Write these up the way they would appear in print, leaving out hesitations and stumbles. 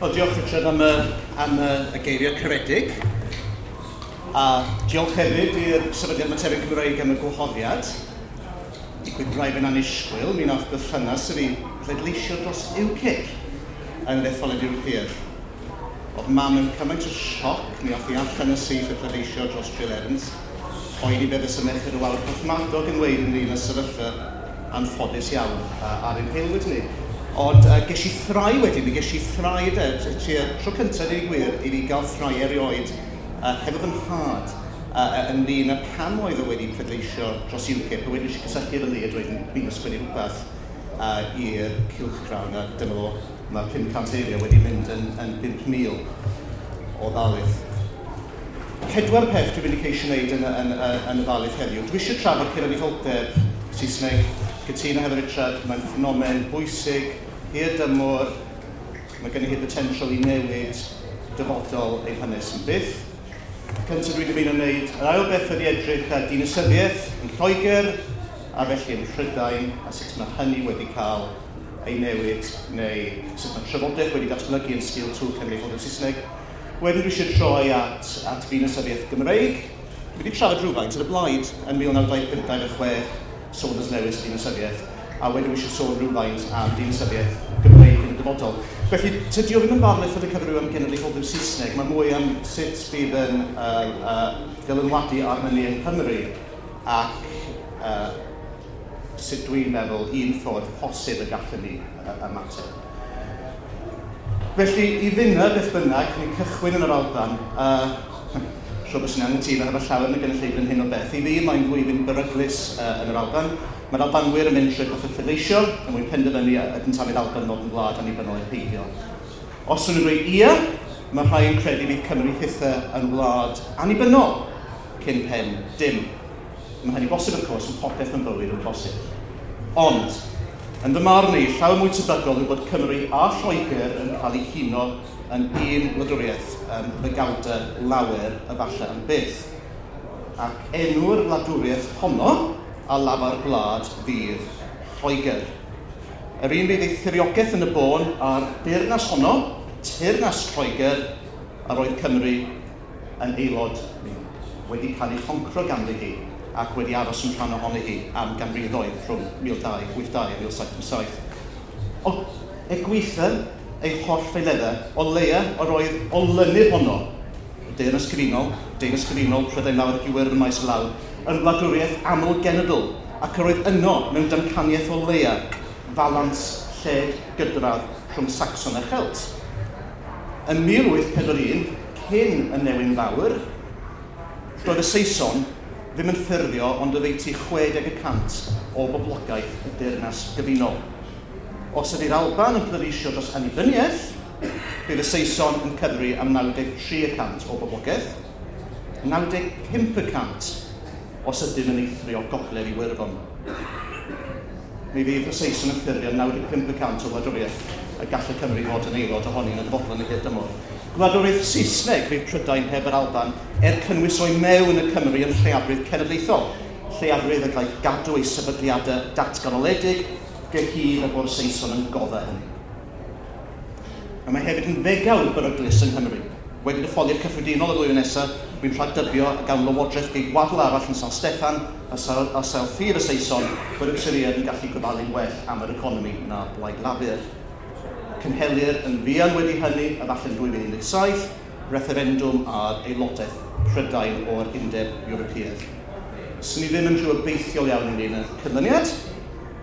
Wel, diolch Richard am y geiriau caredig. A diolch hefyd i'r Sefydliad Materion Cymreig am y gwahoddiad. Digwydd braidd yn annisgwyl, mi nath berthynas i fi pleidleisio dros UKIP yn yr etholiad Ewropeaidd. Oedd mam yn cymaint o sioc, mi ath hi allan yn syth i pleidleisio dros Jill Evans. Poeni be fysa Merched y Wawr Porthmadog yn weud ynglyn â'r sefyllfa anffodus iawn ar ein haelwyd ni. Ond ges i ffrae wedyn, mi ges i ffrae de, tua tro cyntaf deud y gwir, i fi gael ffrae erioed hefo fy nhad ynglyn â pam oedd o wedi pleidleisio dros UKIP, a wedyn nes i cysylltu efo Lee a dweud fi'n ysgrifennu rhywbeth i'r cylchgrawn, a dyma fo, mae 500 eiriau wedi mynd yn 5,000 o ddarlith. Pedwar peth dwi'n mynd i ceisio wneud yn y ddarlith heddiw. Dwi eisiau trafod cenedlaetholdeb Saesneg, cytuno hefo Richard, mae'n ffenomen bwysig, hir dymor, mae gen i hi potensial i newid dyfodol ein hanes yn byth. Cyntaf dwi'n dymuno wneud, yr ail beth ydy edrych ar dinasyddiaeth yn Lloegr, a felly yn Prydain, a sut mae hynny wedi cael ei newid, neu sut mae trafodaeth wedi datblygu yn sgil twf cenedlaetholdeb Saesneg. Wedyn dwi eisiau troi at ddinasyddiaeth Gymreig. Dwi wedi trafod rhywfaint ar y blaid yn 1925-26, Saunders Lewis dinasyddiaeth, a wedyn dwi eisiau sôn rhywfaint am dinasyddiaeth Gymreig yn y dyfodol. Felly, tydi o ddim yn ddarlith ar y cyfryw am genedlaetholdeb Saesneg, mae mwy am sut bydd yn dylanwadu arnon ni yng Nghymru ac sut dwi'n meddwl un ffordd posib y gallwn ni ymateb. Felly, i finna, beth bynnag, ni'n cychwyn yn yr Alban, siŵr bod sy'n anghytuno hefo llawer yn y gynulleidfa yn hyn o beth. I fi, mae'n flwyddyn beryglus yn yr Alban. Mae'r Albanwyr yn mynd trwy broses pleidleisio, er mwyn penderfynu ydynt am i'r Alban ddod yn wlad annibynnol ai peidio. Os ydyn nhw'n dweud ia, mae rhai yn credu bydd Cymru hithe yn wlad annibynnol cyn pen dim. Mae hynny'n bosib, of course, mae popeth yn bywyd yn bosib. Ond, yn fy marn i, llawer mwy tebygol yw bod Cymru a Lloegr yn cael eu huno yn un wladwriaeth yn ddegawdau lawer efallai am byth. Ac enw'r wladwriaeth honno a lafar gwlad fydd Lloegr. Yr un fydd ei thiriogaeth yn y bôn a'r deyrnas honno, teyrnas Lloegr, a roedd Cymru yn aelod wedi cael ei choncro ganddi hi ac wedi aros yn rhan ohoni hi am ganrifoedd rhwng 1282 a 1757. Ond er gwaetha ei holl ffaeleddau, o leia yr oedd olynydd honno, y Deyrnas Gyfunol, Deyrnas Gyfunol, Prydain Fawr ac Iwerddon maes o law, yn wladwriaeth aml-genedl, ac yr oedd yno mewn damcaniaeth o leia falans lled gydradd rhwng Saxon a Chelt. Yn 1841, cyn y newyn fawr, doedd y Saeson ddim yn ffurfio ond oddeutu 60% o boblogaeth y Deyrnas Gyfunol. Os ydy'r Alban yn pleidleisio dros annibyniaeth, bydd y Saeson yn cyfri am 93% o boblogaeth, 95% os ydym yn eithrio gogledd Iwerddon. Mi fydd y Saeson yn ffurfio 95% o wladwriaeth y gall y Cymru fod yn aelod ohoni yn y dyfodol yn y hir dymor. Gwladwriaeth Saesneg fydd Prydain heb yr Alban er cynnwys o'i mewn y Cymru yn lleiafrif cenedlaethol, lleiafrif y gaiff gadw ei sefydliadau datganoledig gyhyd â bod y Saeson yn goddef hynny. A mae hefyd yn ddegawd beryglus yng Nghymru. Wedi detholiad cyffredinol y flwyddyn nesaf, dwi'n rhagdybio y gawn lywodraeth geidwadol arall yn San Steffan a sail ffydd y Saeson bod y Cyriad yn gallu gofalu'n well am yr economi na Blaid Lafur. Cynhelir yn fuan wedi hynny, efallai yn 2017, referendwm ar aelodaeth Prydain o'r Undeb Ewropeaidd. Swn i ddim yn rhyw obeithiol iawn ynglyn â'r canlyniad.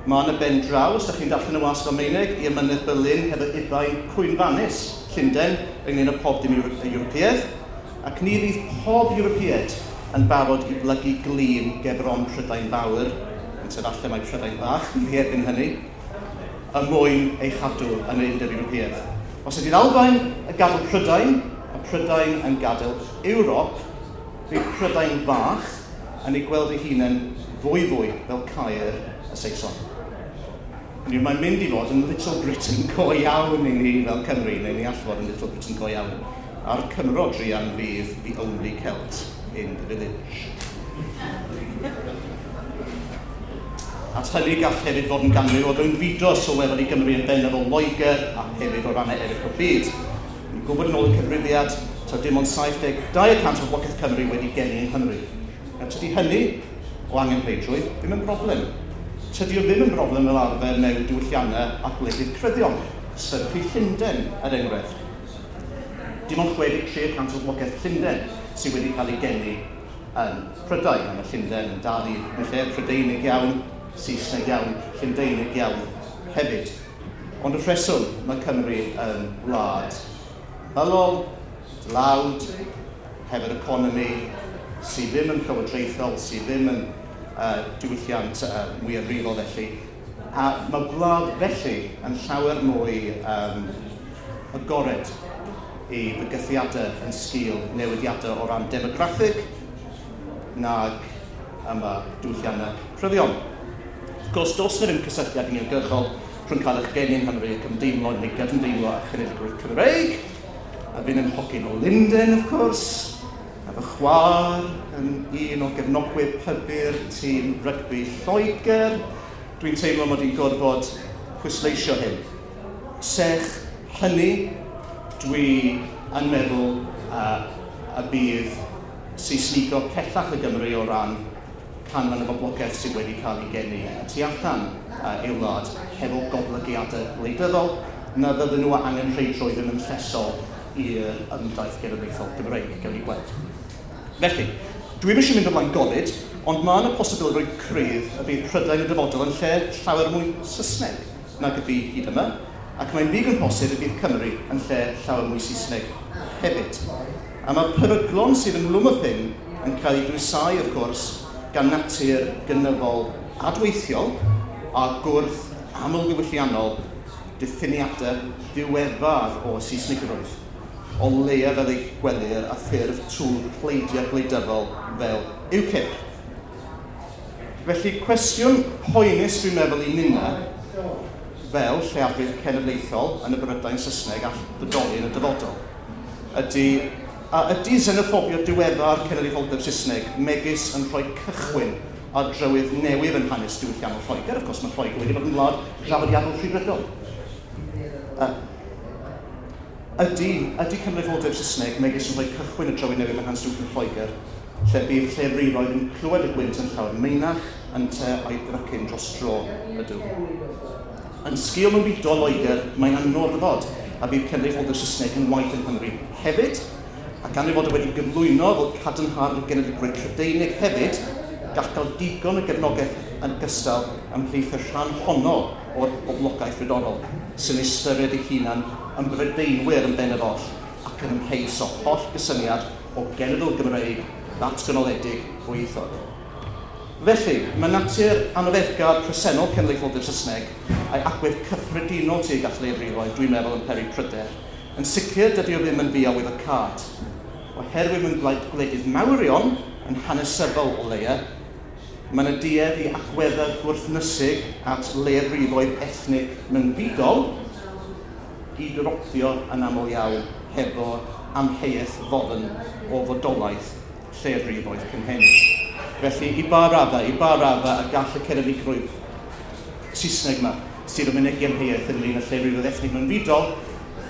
Mae yna ben draw, os ydych chi'n darllen y wasg Almaeneg, i ymynedd Berlin hefo ubain cwynfannus Llundain ynglyn â pob dim Ewropeaidd, ac ni fydd pob Ewropeaid yn barod i blygu glin gerbron Prydain Fawr, yn efallai mae Prydain Fach fydd hi erbyn hynny, y mwyn ei chadw yn yr Undeb Ewropeaidd. Os ydy'r Albain yn gadael Prydain, a Prydain yn gadael Ewrop, bydd Prydain Fach yn ei gweld ei hunain fwy fel caer y Saeson. Mae'n mynd i fod yn Little Britain go iawn i ni fel Cymru, neu ni all fod yn Little Britain go iawn. A'r Cymro druan fydd the only Celt in the village. At hynny gall hefyd fod yn ganrif o fewnfudo sylweddol i Gymru yn bennaf o Loegr a hefyd o rannau eraill o'r byd. Ni'n gwybod yn ôl y cyfrifiad, taw dim ond 72% o boblogaeth Cymru wedi geni yng Nghymru. Nawr, tydi hynny o angenrheidrwydd ddim yn broblem. Tydi o ddim yn broblem fel arfer mewn diwylliannau a gwledydd cryddion, sefydlu Llundain, er enghraifft. Dim ond 63% o boblogaeth Llundain sydd wedi cael ei geni yn Prydain. A mae Llundain yn dal i yn lle Prydeinig iawn, Saesneg iawn, Llundeinig iawn hefyd. Ond y rheswm mae Cymru yn wlad ymylol, dlawd, hefo'r economi sydd ddim yn llywodraethol, sydd ddim yn diwylliant mwyafrifol felly. A mae gwlad felly yn llawer mwy agored i fygythiadau yn sgil newidiadau o ran demograffig nag yma diwylliannau cryfion. Wrth gwrs, does na ddim cysylltiad uniongyrchol rhwng cael eich geni yng Nghymru ac ymdeimlo neu gydymdeimlo â chenedligrwydd Cymreig, a fi'n yn hogyn o Lunden, of course, a fy chwaer yn un o gefnogwyr pybyr tîm rygbi Lloegr. Dwi'n teimlo mod i'n gorfod pwysleisio hyn. Serch hynny, dwi yn meddwl y bydd Seisnigo pellach y Gymru o ran canran y boblogaeth sydd wedi cael ei geni y tu allan i'w wlad hefo goblygiadau gwleidyddol na fydden nhw angenrheidrwydd ddim yn llesol i'r ymdaith genedlaethol Gymreig, gawn ni gweld. Felly, dwi'm eisiau mynd ymlaen golud, ond mae yna posibilrwydd cryf y bydd Prydain y dyfodol yn lle llawer mwy Saesneg nag y bu hyd yma, ac mae'n ddigon posib y bydd Cymru yn lle llawer mwy Saesneg hefyd. A mae peryglon sydd ynghlwm wrth hyn yn cael eu dwysau, wrth gwrs, gan natur gynyddol adweithiol a gwrth amlddiwylliannol diffiniadau diweddar o Saesnigrwydd, o leia fel ei gwelir a ffurf twf pleidiau gwleidyddol fel UKIP. Felly, cwestiwn poenus dwi'n meddwl i ninna, fel lleiafrif cenedlaethol yn y Brydain Saesneg all fodoli yn y dyfodol, ydy, a ydy xenophobia diweddar cenedlaetholdeb Saesneg megis yn rhoi cychwyn ar drywydd newydd yn hanes diwylliannol Lloegr? Of course, mae Lloegr wedi bod yn wlad draddodiadol rhyddfrydol. Ydy cenedlaetholdeb Saesneg megis yn rhoi cychwyn y drywydd newydd yn hanes diwylliannol Lloegr, lle bydd lleiafrifoedd yn clywed y gwynt yn llawer meinach ynte a'i drycin dros dro ydw. Yn sgil mewnfudo Loegr, mae'n anorfod a bydd cenedlaetholdeb Saesneg yn waith yng Nghymru hefyd, a gan ei fod wedi gyflwyno fel cadarnhad y genedligrwydd Prydeinig hefyd, gall gael digon o gefnogaeth yn gystal ymhlith y rhan honno o'r boblogaeth frodorol, sy'n ystyried ei hunan yn Brydeinwyr yn bennaf oll ac yn ymheus o holl gysyniad o genedl Gymreig ddatganoledig ddwyieithog. Felly, mae natur anoddefgar presennol cenedlaetholdeb Saesneg a'i agwedd cyffredinol tuag at leiafrifoedd, dwi'n meddwl, yn peri pryder. Yn sicr, dydy o ddim yn ddiarwyddocâd. Oherwydd mewn gwledydd mawrion, yn hanesyddol o leia, mae yna duedd i agweddau gwrthnysig at leiafrifoedd ethnig mewnfudol i dropio yn aml iawn hefo amheuaeth ddofn o fodolaeth lleiafrifoedd cynhenid. Felly, i ba raddau y gall y cenedligrwydd Saesneg yma, sydd yn mynegi amheuaeth ynglyn â lleiafrifoedd ethnig mewnfudol,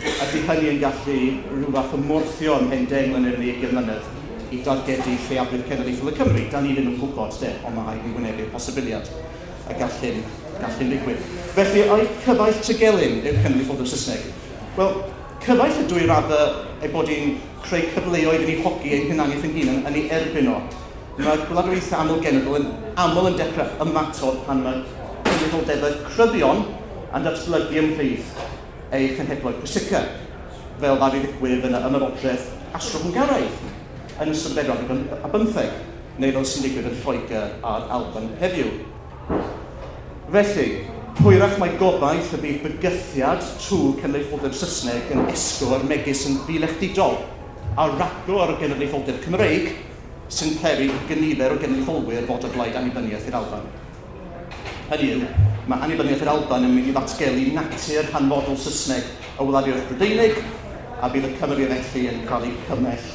ydy hynny yn gallu rhyw fath o morthio ymhen 10 mlynedd neu 20 mlynedd i dargedu lleiafrif cenedlaethol y Cymru. Da ni ddim yn gwybod, de, ond mae rhaid ni wynebu'r posibiliad y gall hyn ddigwydd. Felly, ai cyfaill Tegelyn yw'r cenedlaetholdeb Saesneg? Wel, cyfaill ydw i raddau ei bod hi'n creu cyfleoedd i ni hogi ein hunaniaeth ein hunain yn ei erbyn o. Mae gwladwriaethau aml-genedl yn aml yn dechrau ymatod pan mae cenedlaetholdebau cryfion yn datblygu ymhlith ei chenhedloedd pwysica, fel ddaru ddigwydd yn y ymerodraeth Austro-Hwngaraidd yn ystod y bedwaredd a bymtheg, neu fel sy'n digwydd yn Lloegr a'r Alban heddiw. Felly, hwyrach mae gobaith y bydd bygythiad twf cenedlaetholdeb Saesneg yn esgor megis yn ddilechdidol a ragor o genedlaetholdeb Cymreig sy'n peri i gynifer o genedlaetholwyr fod o blaid annibyniaeth i'r Alban. Hynny yw, mae annibyniaeth i'r Alban yn mynd i ddatgelu natur hanfodol Saesneg y wladwriaeth Brydeinig, a bydd y Cymry felly yn cael eu cymell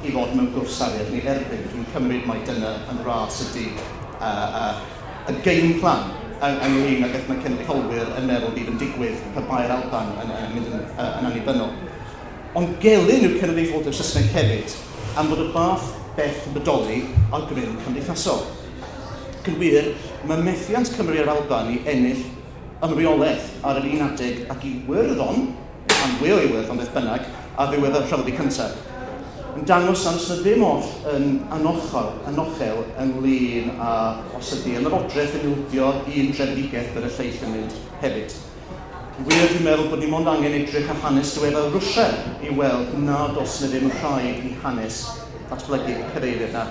i fod mewn gwrthsafiad neu erbyn. Dwi'n cymryd mai dyna yn ras ydy y game plan ynglyn ag beth mae cenedlaetholwyr yn meddwl bydd yn digwydd pe bai'r Alban yn mynd yn annibynnol. Ond gelyn yw cenedlaetholdeb Saesneg hefyd, am fod y fath beth yn bodoli ar gryn cymdeithasol. Ac yn wir, mae methiant Cymru a'r Alban i ennill ymreolaeth ar yr un adeg ac i Iwerddon, am fwy o Iwerddon beth bynnag, ar ddiwedd y Rhyfel Byd Cyntaf, yn dangos am sydd ddim oll yn anochel ynglyn â os ydy ymerodraeth yn ildio un drefedigaeth bydd y lleill yn mynd hefyd. Wir, dwi'n meddwl bod ni mond angen edrych ar hanes diweddar Rwsia i weld nad oes na ddim rhaid i hanes ddatblygu y cyfeiriad yna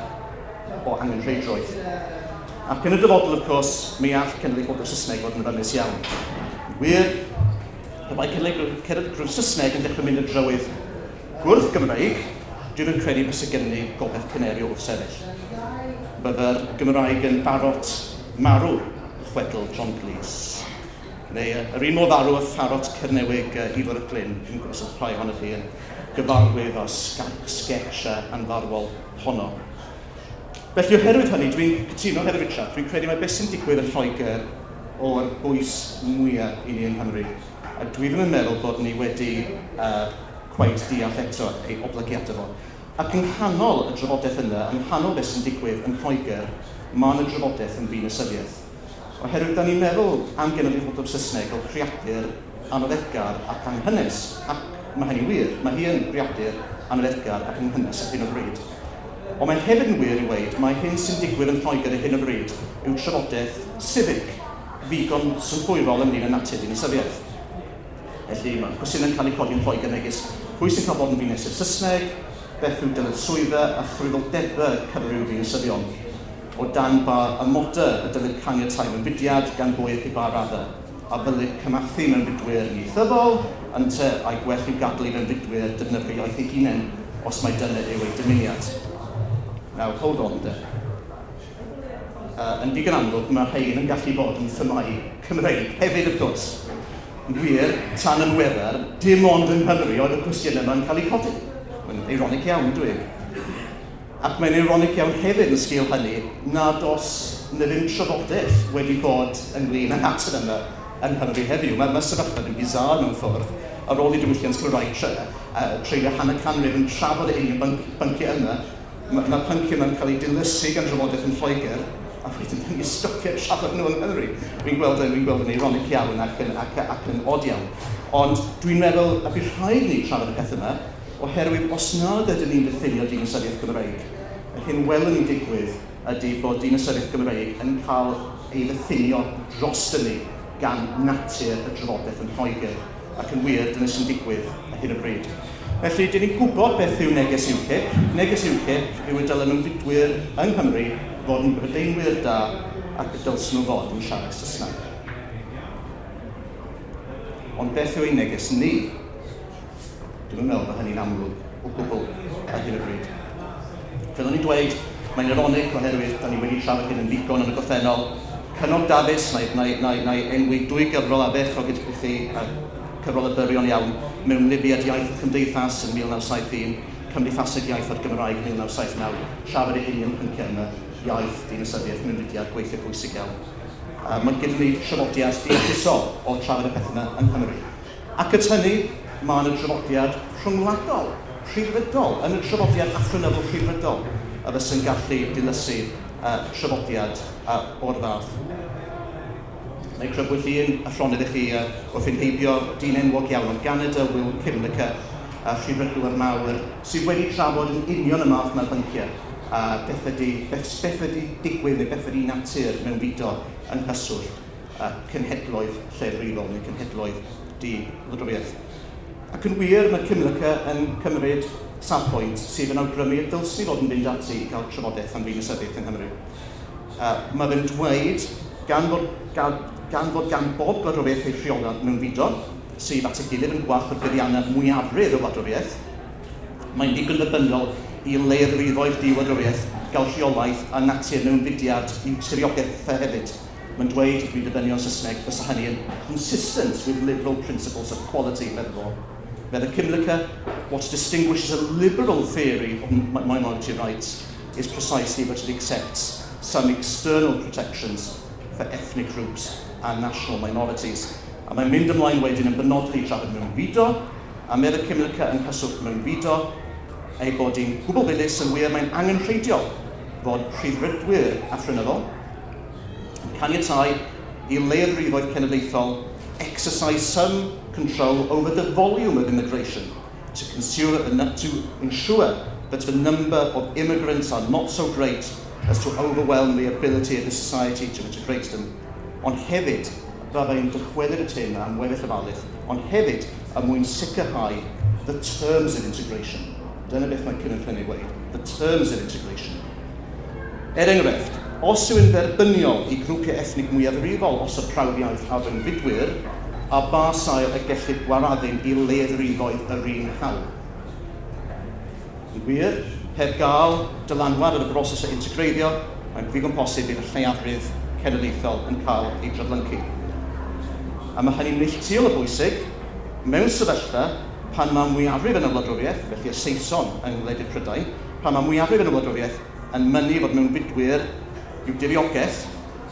o angenrheidrwydd. Ac yn y dyfodol, of course, mi all cenedlaetholdeb Saesneg fod yn rymus iawn. Wir, pe bai cenedlaetholdeb Saesneg yn dechrau mynd y drywydd gwrth Gymreig, dwi'n yn credu bysa gennym ni gobaith caneri o wrthsefyll. Bydde'r Gymraeg yn barot marw, chwedl John Cleese. Neu yr un modd arw y pharot Cernewig Ifor y Glyn, dwi'n gwybod os rhai ohonoch chi yn gyfarwydd â sketch anfarwol honno. Felly oherwydd hynny, dwi'n cytuno hefo Richard, dwi'n credu mai beth sy'n digwydd yn Lloegr o'r bwys mwyaf i ni yng Nghymru. A dwi ddim yn meddwl bod ni wedi cweit deall eto ei oblygiadau fo. Ac yng nghanol y drafodaeth yna, yng nghanol beth sy'n digwydd yn Lloegr, mae yna drafodaeth yn ddinasyddiaeth. Oherwydd da ni'n meddwl am genedlaetholdeb Saesneg fel creadur anoddefgar ac anghynnes, ac mae hynny'n wir, mae hi yn greadur anoddefgar ac anghynnes ar hyn o bryd. Ond mae hefyd yn wir i weud, mae hyn sy'n digwydd yn Lloegr ar hyn o bryd yw trafodaeth civic, ddigon synhwyrol ynglyn â natur dinasyddiaeth. Felly mae cwestiynau'n cael eu codi yn Lloegr megis pwy sy'n cael bod yn ddinesydd Saesneg, beth yw dyletswyddau a chyfrifoldebau cyfryw ddinasyddion, o dan ba amodau y dylid caniatáu mewnfudiad gan bwy ac i ba raddau, a ddylid cymathu mewnfudwyr ieithyddol, ynte a'i gwell i'w gadael i fewnfudwyr defnyddio iaith eu hunain os mai dyna yw eu dymuniad. Now, hold on de. Yn ddigon amlwg, mae rhain yn gallu bod yn themâu Cymreig hefyd, of course. Yn wir, tan yn weddar, dim ond yng Nghymru oedd y cwestiynau yma'n cael eu codi. Mae'n ironic iawn, dwi. Ac mae'n ironic iawn hefyd yn sgil hynny nad oes na ddim trafodaeth wedi bod ynglyn â natur yma yng Nghymru heddiw. Mae sefyllfa yn bizarre mewn ffordd. Ar ôl i diwylliant Cymraeg treulio hanner canrif yn trafod y union bynciau yma, mae pynciau yma'n cael eu dilysu gan drafodaeth yn Lloegr, a wedyn dyn ni'n stopio trafod nhw yng Nghymru. Dwi'n gweld yn ironic iawn ac yn od iawn. Ond dwi'n meddwl y bydd rhaid ni trafod y peth yma, oherwydd os nad ydyn ni'n diffinio dinasyddiaeth Gymreig, yr hyn welwn ni'n digwydd ydy bod dinasyddiaeth Gymreig yn cael ei ddiffinio dros ni gan natur y drafodaeth yn Lloegr, ac yn wir, dyna sy'n digwydd ar hyn o bryd. Felly, dyn ni'n gwybod beth yw neges UKIP. Neges UKIP yw y dylen mewnfudwyr yng Nghymru fod yn Brydeinwyr da ac y dylsyn nhw fod yn siarad Saesneg. Ond beth yw ein neges ni? Dwi'n meddwl bod hynny'n amlwg o gwbl ar hyn o bryd. Fel o'n i'n dweud, mae'n ironic oherwydd da ni wedi trafod hyn yn ddigon yn y gorffennol. Cynog Dafis, na i enwi dwy gyfrol ardderchog gyda chi, a cyfrol y byrion iawn, Mewnlifiad Iaith a Chymdeithas yn 1971, Cymdeithaseg Iaith a'r Gymraeg 1979, trafod y union pynciau yma, iaith, dinasyddiaeth, mewnfudiad, gweithio pwysig iawn. Mae gyda ni traddodiad deallusol o trafod y pethau yma yng Nghymru. Ac at hynny, mae yna draddodiad rhyngwladol, rhyddfrydol, yn y traddodiad athronyddol rhyddfrydol, a fysa'n gallu dilysu traddodiad o'r fath. Neu crybwyll un athronydd i chi wrth ein heibio, dyn enwog iawn o Ganada, Will Kymlicka, a rhyddfrydwr mawr, sydd wedi trafod yn union y math yma bynciau, a beth ydy digwydd neu beth ydy natur mewnfudo yng nghyswllt cenhedloedd llefrifol neu cenhedloedd di-wladwriaeth. Ac yn wir, mae Kymlicka yn cymryd safbwynt sydd yn awgrymu y dylswn ni fod yn fynd ati i gael trafodaeth am ddinasyddiaeth yng Nghymru. Mae fe'n dweud, gan fod gan bob gwladwriaeth ei rheolau mewnfudo, sydd at ei gilydd yn gwarchod buddiannau mwyafrif y wladwriaeth, mae'n ddigon dderbyniol i leiafrifoedd di-wladwriaeth gael rheolaeth a natur mewnfudiad i'w tiriogaethau hefyd. Mae'n dweud, dwi'n dyfynnu o'n Saesneg, bysa hynny yn consistent with liberal principles of equality, meddwl fo. Medda Kymlicka, what distinguishes a liberal theory of minority rights is precisely that it accepts some external protections for ethnic groups and national minorities. A mae'n mynd ymlaen wedyn yn benodol i trafod mewnfudo, A medd y Cymlica yng nghyswllt mewnfudo, ei bod hi'n gwbl ddilys yn wir mae'n angenrheidiol fod rhyddfrydwyr athronyddol yn caniatáu i leiafrifoedd cenedlaethol exercise some control over the volume of immigration to ensure that the number of immigrants are not so great as to overwhelm the ability of the society to integrate them. Ond hefyd, byddai'n dychwelyd y thema am weddill y ddarlith, ond hefyd er mwyn sicrhau the terms of integration. Dyna beth mae Kimon yn ei weud, the terms of integration. Er enghraifft, os yw'n dderbyniol i grwpiau ethnig mwyafrifol osod prawf iaith ar fewnfudwyr, ar ba sail y gellid gwaraddu i leiafrifoedd yr un hawl? Yn wir, heb gael dylanwad ar y broses o integreiddio, mae'n ddigon posib bydd y lleiafrif cenedlaethol yn cael ei draflyncu. A mae hynny'n neilltuol o bwysig mewn sefyllfa pan mae mwyafrif yn y wladwriaeth, felly y Saeson yng ngwledydd Prydain, pan mae mwyafrif yn y wladwriaeth yn mynnu fod mewnfudwyr i'w diriogaeth,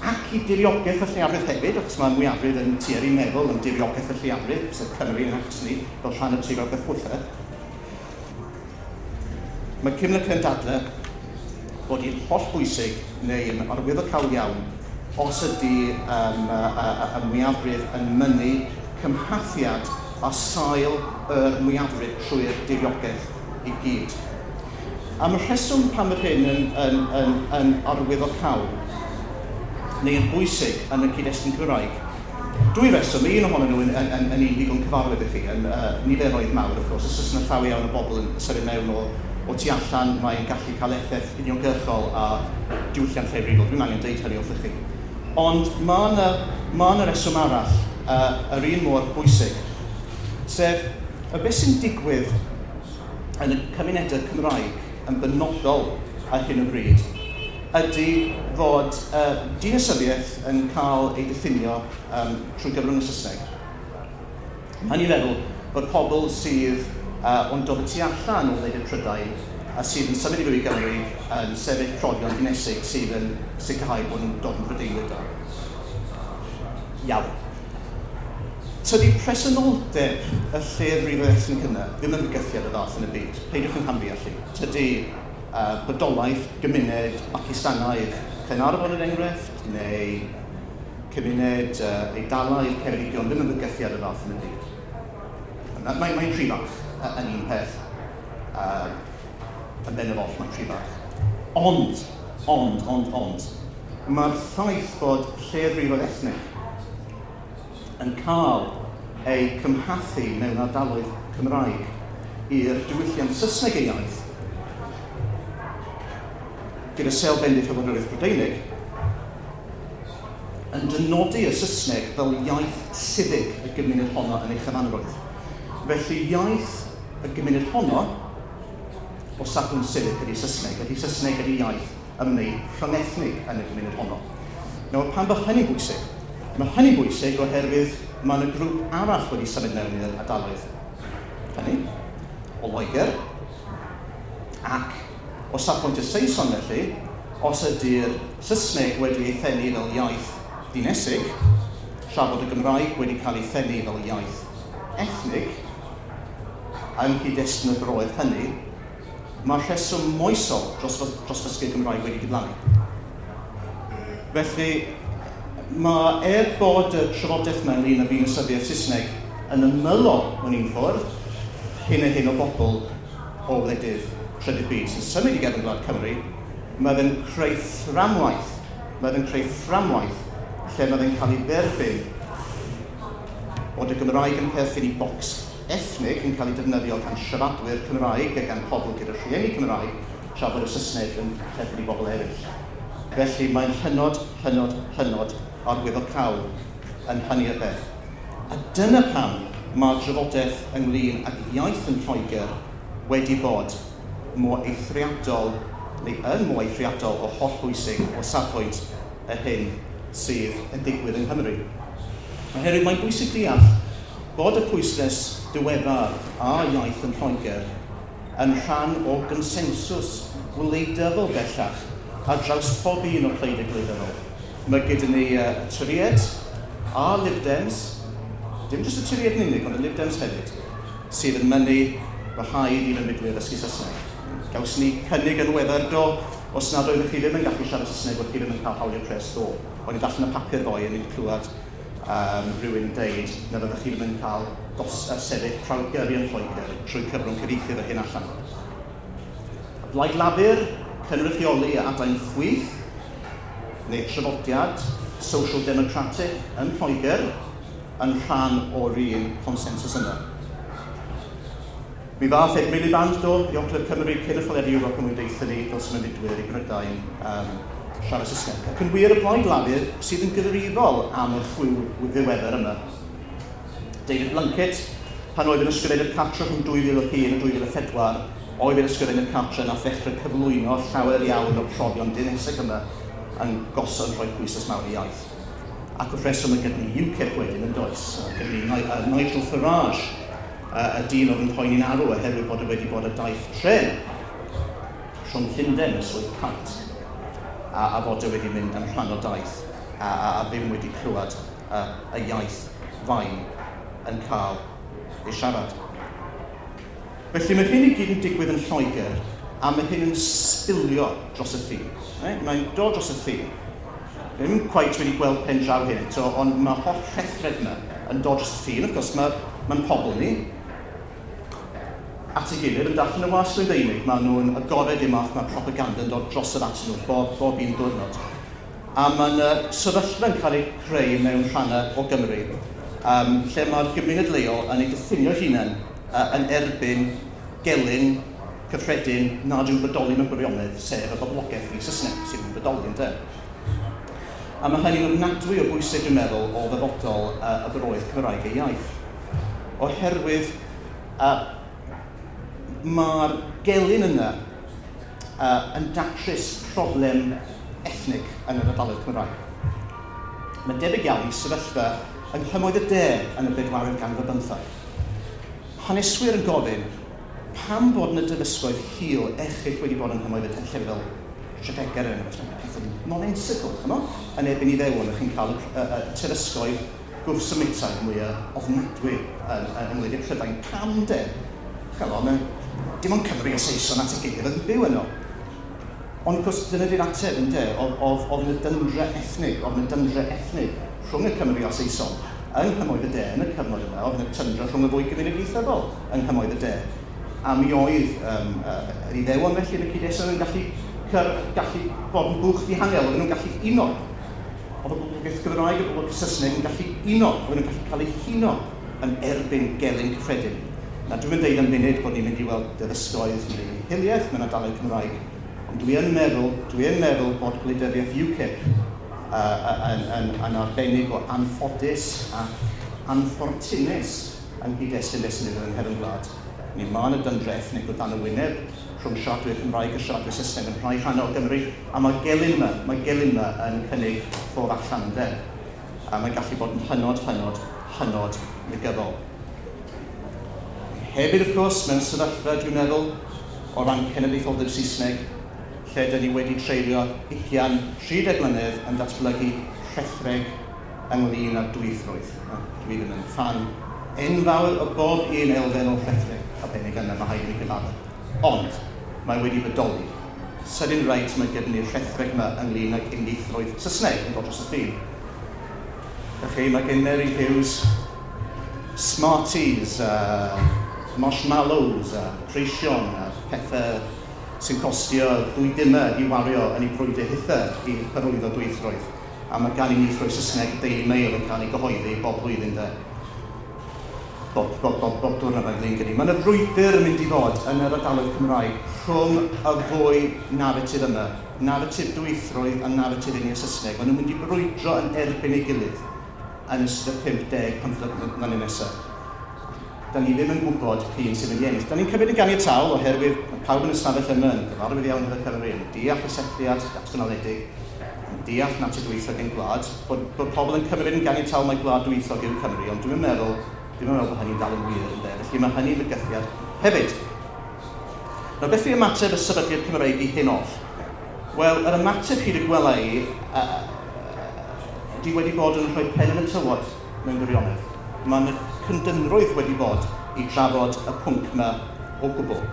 ac i diriogaeth y lleiafrif hefyd, achos mae mwyafrif yn tueddu meddwl am diriogaeth y lleiafrif, sef Cymru yn Hackney, fel rhan o'r tiriogaeth hwythau. Mae Kymlicka yn dadlau bod hi'n hollbwysig neu yn arwyddocaol iawn os ydy y mwyafrif yn mynnu cymhathiad a sail yr mwyafrif trwy'r diriogaeth i gyd. Am y rheswm pam yr hyn yn arwyddocaol neu yn bwysig yn y cyd-destun Cymraeg, dwy reswm, un ohonyn nhw yn un ddigon cyfarwydd i chi, yn niferoedd mawr, of course, os oes yna llawer iawn o bobl yn symud mewn o tu allan, mae'n gallu cael effaith uniongyrchol a diwylliant lleiafrifol. Dwi'n angen deud hynny wrthych chi. Ond mae yna ma reswm arall, yr un mor bwysig, sef y beth sy'n digwydd yn y cymunedau Cymraeg yn benodol ar hyn o bryd ydy fod dinasyddiaeth yn cael ei diffinio trwy gyfrwng y Saesneg. Mae'n i feddwl bod pobl sydd o'n dod y tu allan o wledydd Prydain a sydd yn symud i fyw i Gymru yn sefyll profion dinesig sydd yn sicrhau bod nhw'n dod yn Brydeinwyr da. Iawn. Tydi presenoldeb y lleiafrifoedd ethnig yna ddim yn fygythiad o fath yn y byd. Peidiwch yn camddeall i. Tydi bodolaeth gymuned Pakistanaidd Caernarfon yn enghraifft, neu cymuned Eidalaidd Ceredigion ddim yn fygythiad o fath yn y byd. Mae'n rhy fach yn un peth. Yn bennaf oll, mae'n rhy fach. Ond, mae'r ffaith bod lleiafrifoedd ethnig yn cael eu cymhathu mewn ardaloedd Cymraeg i'r diwylliant Saesneg ei iaith, gyda sêl bendith y Wladwriaeth Brydeinig, yn dynodi y Saesneg fel iaith sifig y gymuned honno yn ei chyfanrwydd. Felly iaith y gymuned honno, o safbwynt sifig ydy Saesneg, ydy Saesneg ydy iaith ymwneud rhyngethnig yn y gymuned honno. Nawr, pan bod hynny'n bwysig? Mae hynny'n bwysig oherwydd mae yna grŵp arall wedi symud mewn i'r ardaloedd hynny, o Loegr, ac o safbwynt y Saeson felly, os ydy'r Saesneg wedi ei thennu fel iaith dinesig, tra bod y Gymraeg wedi cael ei thennu fel iaith ethnig, yng nghyd-destun y broedd hynny, mae'r rheswm moesol dros ddysgu'r Gymraeg wedi diflannu. Felly, mae bod y trafodaeth yma ynglyn â ddinasyddiaeth Saesneg yn ymylol mewn un ffordd, hyn a hyn o bobl o wledydd trydydd byd sy'n symud i gefn gwlad Cymru, mae fe'n creu fframwaith, lle mae fe'n cael ei dderbyn bod y Gymraeg yn perthyn i bocs ethnig yn cael ei defnyddio gan siaradwyr Cymraeg a gan pobl gyda rhieni Cymraeg, tra bod y Saesneg yn perthyn i bobl eraill. Felly mae'n hynod, hynod, hynod arwyddocaol yn hynny o beth. A dyna pam mae'r drafodaeth ynglyn ag iaith yn Lloegr wedi bod mor eithriadol, neu yn mor eithriadol o hollbwysig o safbwynt y hyn sydd yn digwydd yng Nghymru. Oherwydd mae'n bwysig deall bod y pwyslais diweddar a iaith yn Lloegr yn rhan o gonsensws gwleidyddol bellach ar draws pob un o'r pleidiau gwleidyddol. Mae gyda ni y Torïaid a Lib Dems, dim jyst y Torïaid yn unig, ond y Lib Dems hefyd, sydd yn mynnu bod rhaid i fewnfudwyr ddysgu Saesneg. Gawson ni cynnig yn weddar do, os nad oeddech chi ddim yn gallu siarad Saesneg, bod chi ddim yn cael hawlio pres ddo. O'n i'n darllen y papur ddoe yn clywed rhywun yn deud na fyddech chi ddim yn cael sefyll prawf gyrru yn Lloegr trwy cyfrwng cyfieithu fy hyn allan. Y Blaid Lafur, cynrychioli adain chwith, neu traddodiad Social Democratic yn Lloegr, yn rhan o'r un consensus yna. Mi ddath Ed Miliband do i Ogledd Cymru cyn etholiad Ewrop yn mwyn deutha ni dylse mewnfudwyr i Brydain siarad Saesneg. Ac yn wir y Blaid Lafur sydd yn gyfrifol am y chwiw ddiweddar yma. David Blunkett, pan oedd yn ysgrifennu'r cartre rhwng 2001 a 2004, oedd yn ysgrifennu'r cartre nath ddechrau cyflwyno llawer iawn o'r profion dinesig yma yn gosod rhoi pwyslais mawr i iaith. Ac wrth reswm mae gyda ni UKIP wedyn yn does. Gyda ni Nigel Farage, y dyn oedd yn poeni'n arw oherwydd bod e wedi bod y daith tren rhwng Llundain a Swydd Kent, a fod e wedi mynd yn rhan o daith a ddim wedi clywed y iaith fain yn cael ei siarad. Felly mae hyn i gyd yn digwydd yn Lloegr, a mae hyn yn sbilio dros y ffin. Right? Mae'n dod dros y ffin. Fi ddim cweit wedi gweld pen draw hyn eto, ond mae holl rhethreg yma yn dod dros y ffin. Wrth gwrs, mae'n pobl ni at ei gilydd yn darllen y wasg Rufeinig. Maen nhw'n agored i'r math mae propaganda yn dod dros yr atyn nhw bob un diwrnod. A mae'n sefyllfa yn cael ei creu mewn rhannau o Gymru, lle mae'r gymuned leol yn ei diffinio hunain yn erbyn gelyn cyffredin nad yw'n bodoli mewn gwirionedd, sef y boblogaeth fi Saesneg sydd yn bodoli, ynde. A mae hynny'n ofnadwy o bwysig, dwi'n meddwl, o ddyfodol y byroedd Cymraeg ei iaith. Oherwydd mae'r gelyn yna yn datrys problem ethnig yn yr ardaloedd Cymraeg. Mae'n debyg iawn i sefyllfa yng nghymoedd y De yn y bedwaredd ganrif ar bymtheg. Haneswyr yn gofyn pam bod yna dywysgoedd hil erchyll wedi bod yng nghymoedd y De, llefydd fel Tredegar er enghraifft, pethau nonsensical, ch'mo? Yn erbyn Iddewon, ych chi'n cael y terysgoedd gwrthsymitaidd mwyaf ofnadwy yng ngwledydd Prydain. Pam de? Ch'mo, dim ond Cymru a Saeson at ei gilydd oedd yn byw yno. Ond wrth gwrs, dyna di'r ateb, ynde? Oedd yna dyndra ethnig, oedd yna dyndra ethnig rhwng y Cymru a Saeson yng nghymoedd y De yn y cyfnod yma, oedd yna tyndra rhwng y ddwy gymuned ieithyddol yng nghymoedd y De. A mi oedd yr Iddewon felly yn y cyd-destun yn gallu bod yn bwch dihangel, oedden nhw'n gallu uno. Oedd y boblogaeth Gymraeg a'r boblogaeth Saesneg yn gallu uno, oedden nhw'n gallu cael eu huno yn erbyn gelyn cyffredin. Na, dwi'n mynd deud am funud bod ni'n mynd i weld derysgoedd neu hiliaeth mewn ardaloedd Cymraeg, ond dwi yn meddwl bod gwleidyddiaeth UKIP yn arbennig o anffodus ac anffortunus yng nghyd-destun beth sy'n digwydd yng nghefn gwlad. Ni mae yna dyndra ethnig o dan y wyneb rhwng siaradwyr Cymraeg a siaradwyr Saesneg yn rhai rhannau o Gymru, a mae gelyn yma yn cynnig ffordd allan, ynde? A mae'n gallu bod yn hynod, hynod, hynod negyddol. Hefyd, wrth gwrs, mewn sefyllfa, dwi'n meddwl, o ran cenedlaetholdeb Saesneg, lle dyn ni wedi treulio 20-30 mlynedd yn datblygu rhethreg ynglyn â'r dwyieithrwydd. Dwi ddim yn ffan enfawr o bob un elfen o'r rhethreg arbennig yna, mae rhaid i mi gyfaddef. Ond mae wedi bodoli. Sydyn reit mae gyda ni'r rhethreg yma ynglyn ag unieithrwydd Saesneg yn dod dros y ffin. Felly mae gen Mary Hughes Smarties, marshmallows, preision, pethau sy'n costio 2 dimau i wario yn ei brwydr hitha i hyrwyddo dwyieithrwydd. A mae gan unieithrwydd Saesneg Daily Mail yn cael ei gyhoeddi bob blwyddyn de. Bob diwrnod mae'n flin gyda. Mae yna frwydr yn mynd i fod yn yr ardaloedd Cymraeg rhwng y ddwy naratif yma. Naratif dwyieithrwydd a naratif uniaith Saesneg. Maen nhw'n mynd i brwydro yn erbyn ei gilydd yn ystod y 50 mlynedd nesaf. Da ni ddim yn gwybod p'un sy'n mynd i ennill. Da ni'n cymryd yn ganiataol oherwydd mae pawb yn y stafell yma yn gyfarwydd iawn efo Cymru, yn deall y setliad datganoledig, yn deall natur dwyieithog ein gwlad, bod pobl yn cymryd yn ganiataol mai gwlad dwyieithog yw Cymru, ond dwi'n meddwl bod hynny'n dal yn wir, ynde? Felly mae hynny'n fygythiad hefyd. Nawr, beth yw ymateb y sefydliad Cymreig i hyn oll? Wel, yr ymateb hyd y gwela i, di wedi bod yn rhoi pen yn y tywod mewn gwirionedd. Mae'n cyndynrwydd wedi bod i drafod y pwnc yma o gwbl.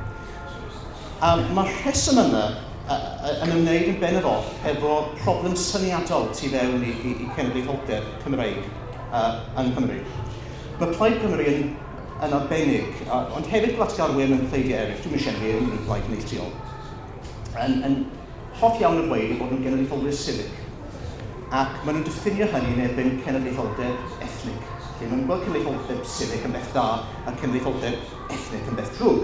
A mae'r rheswm yma yn ymwneud yn bennaf oll efo problem syniadol tu fewn i cenedlaetholdeb Cymreig yng Nghymru. Mae Plaid Cymru yn arbennig, ond hefyd gwlatgarwyr mewn pleidiau eraill, dwi'n eisiau enwi unrhyw blaid neilltuol, yn hoff iawn o ddweud eu bod nhw'n genedlaetholwyr civic, ac maen nhw'n diffinio hynny yn erbyn cenedlaetholdeb ethnig. Lle maen nhw'n gweld cenedlaetholdeb civic yn beth da a cenedlaetholdeb ethnig yn beth drwg.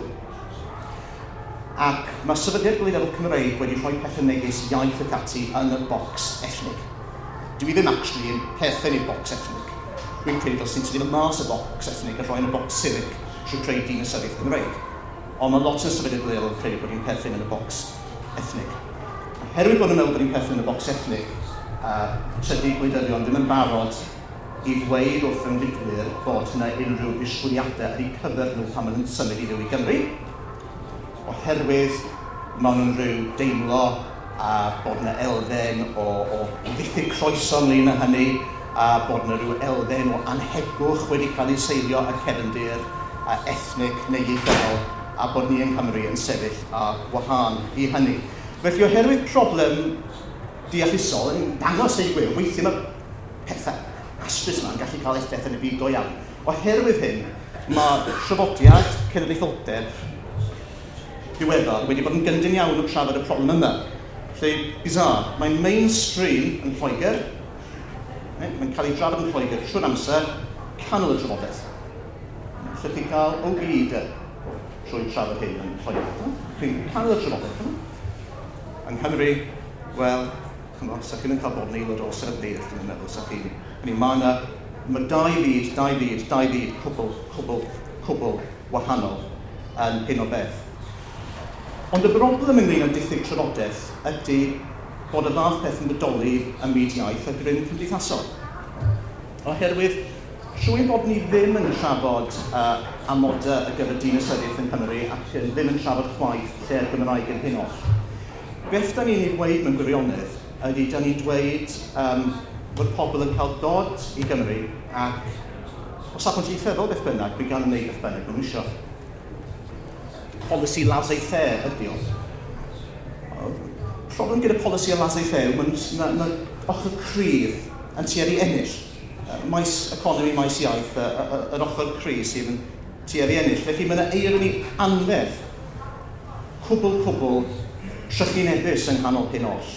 Ac mae Sefydliad Gwleidyddol Cymreig wedi rhoi pethau megis iaith ac ati yn y bocs ethnig. Dwi ddim actually yn perthyn i'r bocs ethnig. Dwi'n credu dylswn tynnu mas y bocs ethnig a rhoi yn y bocs civic trwy creu dinasyddiaeth Gymreig. Ond mae lot o'r Sefydliad Gwleidyddol yn credu bod ni'n perthyn yn y bocs ethnig. Oherwydd bod nhw'n meddwl bod ni'n perthyn yn y bocs ethnig, tydi gwleidyddion ddim yn barod i ddweud wrth ymfudwyr bod yna unrhyw ddisgwyliadau ar eu cyfer nhw pan maen nhw'n symud i fyw i Gymru, oherwydd maen nhw'n rhyw deimlo a bod yna elfen o ddiffyg croeso ynglyn â hynny, a bod yna rhyw elfen o anhegwch wedi cael ei seilio ar cefndir a ethnig neu ieithyddol, a bod ni yng Nghymru yn sefyll ar wahân i hynny. Felly oherwydd problem deallusol yn dangos ei gwir, weithiau mae pethau astrus yma'n gallu cael effaith yn y byd go iawn. Oherwydd hyn, mae traddodiad cenedlaetholdeb diweddar wedi bod yn gyndyn iawn o trafod y problem yma. Lle, bizarre, mae'n mainstream yn Lloegr, mae'n cael ei drafod yn Lloegr trwy'r amser, canol y trafodaeth. Lle chi'n cael OBE trwy trafod hyn yn Lloegr. Chi'n canol y trafodaeth. Yng Nghymru, wel, chymod, sa chi'n cael bod yn aelod o sefydliad, dwi'n meddwl, sa chi'n... Mae dau fyd cwbl wahanol yn hyn o beth. Ond y broblem ynglyn â diffyg trafodaeth ydy bod y fath peth yn bodoli ym myd iaith a grym cymdeithasol. Oherwydd, trwy bod ni ddim yn trafod amodau ar gyfer dinasyddiaeth yng Nghymru ac ddim yn trafod chwaith lle'r Gymraeg yn hyn oll, beth da ni'n ei ddweud mewn gwirionedd ydy da ni'n dweud bod pobl yn cael dod i Gymru ac o safbwynt ieithyddol beth bynnag, mi gan wneud beth bynnag maen nhw eisiau. Polisi laissez-faire ydy o. Problem gyda polisi o laissez-faire, mae ochr cryf yn tueddu ennill. Maes economi, maes iaith, yr ochr cryf sydd yn tueddu ennill. Felly mae yna eironi anferth, cwbl trychinebus yng nghanol hyn oll.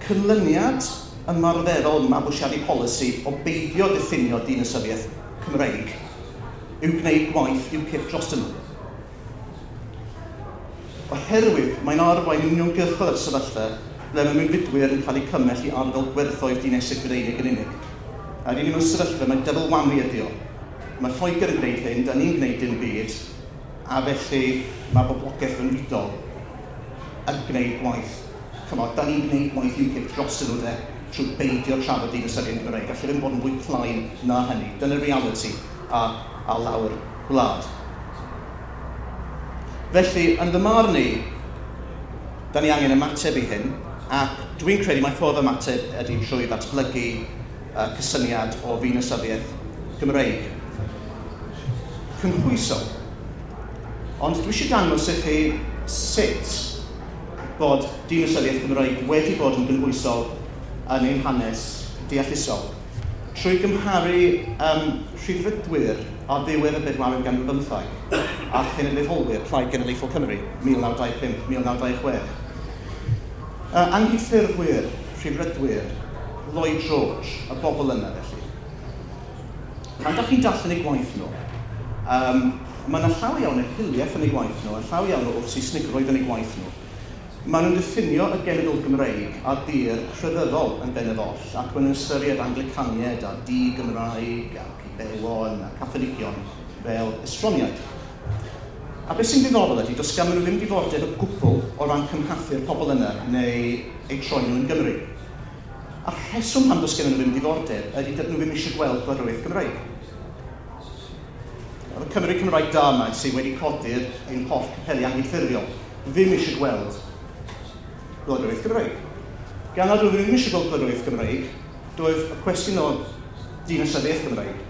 Canlyniad ymarferol mabwysiadu polisi o beidio diffinio dinasyddiaeth Cymreig yw gwneud gwaith UKIP dros nhw. Oherwydd mae'n arwain uniongyrchol at sefyllfa ble mae mewnfudwyr yn cael eu cymell i arddel gwerthoedd dinesig Brydeinig yn unig. A rydyn ni mewn sefyllfa, mae double whammy ydi o. Mae Lloegr yn gwneud hyn, da ni'n gwneud dim byd, a felly mae boblogaeth fewnfudol yn gwneud gwaith. Chymod, da ni'n gwneud gwaith UKIP dros nhw de, trwy beidio trafod dinasyddion Cymreig. Gallai ddim bod yn fwy plaen na hynny. Dyna'r reality a lawr gwlad. Felly, yn fy marn i, da ni angen ymateb i hyn, ac dwi'n credu mai ffordd ymateb ydy trwy ddatblygu cysyniad o ddinasyddiaeth Gymreig. Cynhwysol. Ond dwi eisiau dangos i chi sut bod dinasyddiaeth Gymreig wedi bod yn gynhwysol yn ein hanes deallusol. Trwy gymharu rhyddfrydwyr ar ddiwedd y bedwaredd ganrif bymtheg a cenedlaetholwyr Plaid Genedlaethol Cymru 1925-1926. Anghydffurfwyr, rhyddfrydwyr, Lloyd George, y bobl yna felly. Pan dach chi'n darllen eu gwaith nhw, mae yna llawer iawn o hiliaeth yn eu gwaith nhw, a llawer iawn o wrth-Saesnigrwydd yn eu gwaith nhw. Maen nhw'n diffinio y genedl Gymreig a dir crefyddol yn bennaf oll, ac maen nhw'n ystyried Anglicaniaid a di-Gymraeg ac Iddewon a Catholigion fel estroniaid. A beth sy'n ddiddorol ydy, does ganddyn nhw ddim diddordeb o gwbl o ran cymhathu'r pobl yna neu eu troi nhw yn Gymru. A'r rheswm pam does gennym nhw ddim diddordeb ydy dydyn nhw ddim eisiau gweld gwladwriaeth Gymreig. Y Cymru Cymraeg da yma sydd wedi codi'r ein holl capeli anghydffurfiol ddim eisiau gweld gwladwriaeth Gymreig. Gan nad oedden nhw ddim eisiau gweld gwladwriaeth Gymreig, doedd y cwestiwn o dinasyddiaeth Gymreig